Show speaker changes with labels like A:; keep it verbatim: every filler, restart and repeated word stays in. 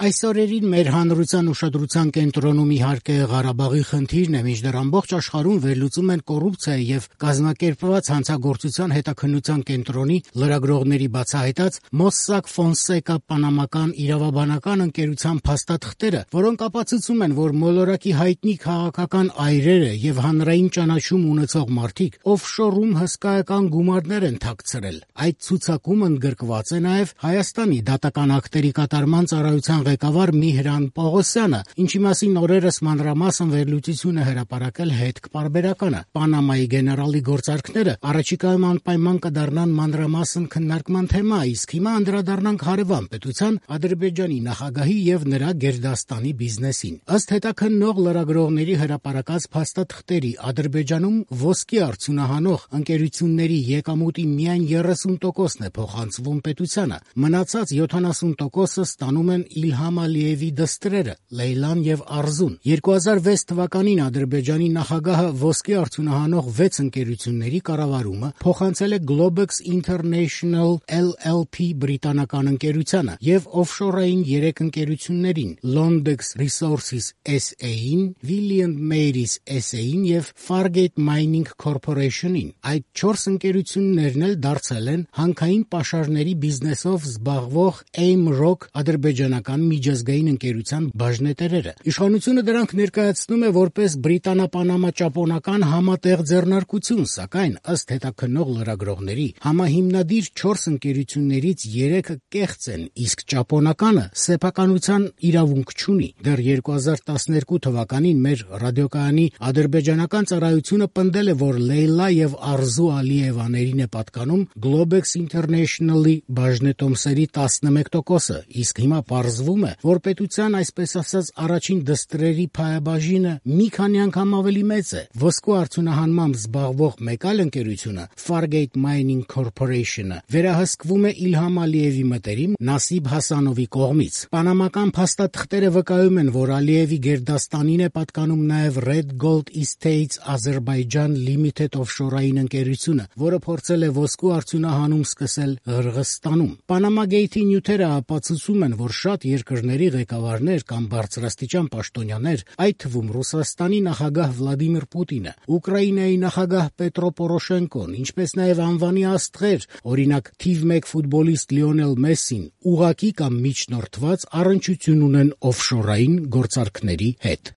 A: Այս օրերին մեր հանրության ուշադրության կենտրոնում իհարկե Ղարաբաղի խնդիրն է, մինչդեռ ամբողջ աշխարհում վերլուծում են կոռուպցիայի եւ կազմակերպված հանցագործության հետաքննության կենտրոնի լրագրողների բացահայտած Mossack Fonseca պանամական իրավաբանական ընկերության փաստաթղթերը, որոնք ապացուցում են, որ մոլորակի հայտնի քաղաքական այրերը եւ հանրային ճանաչում ունեցող մարդիկ օֆշորում հսկայական գումարներ են թաքցրել։ Այդ ցուցակում ընդգրկված է նաեւ Հայաստանի դատական ակտերի կատարման ծառայության ղեկավար Միհրան Պողոսյանը, ինչի մասին օրերս մանրամասն վերլուծություն է հրապարակել Հետք պարբերականը։ Պանամայի գեներալի գործարքները առաջիկայում անպայման կդառնան մանրամասն քննարկման թեմա, իսկ հիմա անդրադառնանք հարևան պետության Ադրբեջանի նախագահի եւ նրա գերդաստանի բիզնեսին։ Ըստ հետաքննող լրագրողների հրապարակած փաստաթղթերի, Ադրբեջանում ոսկի արդյունահանող ընկերությունների եկամուտի միայն երեսուն տոկոսն է փոխանցվում պետությանը, մնացած յոթանասուն տոկոսը ստանում են Իլհամ Ալիևի դստրերը Լեյլան եւ Արզուն։ երկու հազար վեց թվականին Ադրբեջանի նախագահը ոսկի արդյունահանող վեց ընկերությունների կառավարումը փոխանցել է Globex International L L P բրիտանական ընկերությանը եւ օֆշորային երեք ընկերություններին՝ Londex Resources S A-ին, William Mary's S A-ին եւ Fargate Mining Corporation-ին։ Այդ չորս ընկերություններն էլ դարձել են հանքային պաշարների բիզնեսով զբաղվող Aim Rock ադրբեջանական միջազգային ընկերության բաժնետերերը։ Իշխանությունը դրանք ներկայացնում է որպես բրիտանա-պանամա-ճապոնական համատեղ ձեռնարկություն, սակայն ըստ հետաքննող լրագրողների, համահիմնադիր չորս ընկերություններից երեքը կեղծ են, իսկ ճապոնականը սեփականության իրավունք չունի։ Դեռ երկու հազար տասներկու թվականին մեր ռադիոկայանի ադրբեջանական ծառայությունը պնդել է, որ Լեյլա եւ Արզու Ալիևաներին է պատկանում Globex International-ի բաժնետոմսերի տասնմեկ տոկոսը, իսկ հիմա պարզվում է, որ պետության այսպես ասած առաջին դստրերի փայաբաժինը մի քանի անգամ ավելի մեծ է։ Ոսկու արդյունահանմամբ զբաղվող մեկ այլ ընկերությունը Fargate Mining Corporation-ը վերահսկվում է Իլհամ Ալիևի մտերիմ Նասիբ Հասանովի կողմից։ Պանամական փաստաթղթերը վկայում են, որ Ալիևի գերդաստանին է պատկանում նաև Red Gold Estates Azerbaijan Limited օֆշորային ընկերությունը, որը փորձել է ոսկու արդյունահանում սկսել Ղրղստանում։ Panama Gate-ի նյութերը ապացուցում են, որ շատ երկրների ղեկավարներ կամ բարձրաստիճան պաշտոնյաներ, այդ թվում Ռուսաստանի նախագահ Վլադիմիր Պուտինը, Ուկրաինայի նախագահ Պետրո Պորոշենկոն, ինչպես նաև անվանի աստղեր, օրինակ թիվ մեկ ֆուտբոլիստ Լիոնել Մեսսին, ուղղակի կամ միջնորդված առնչություն ունեն օֆշորային գործարքների հետ։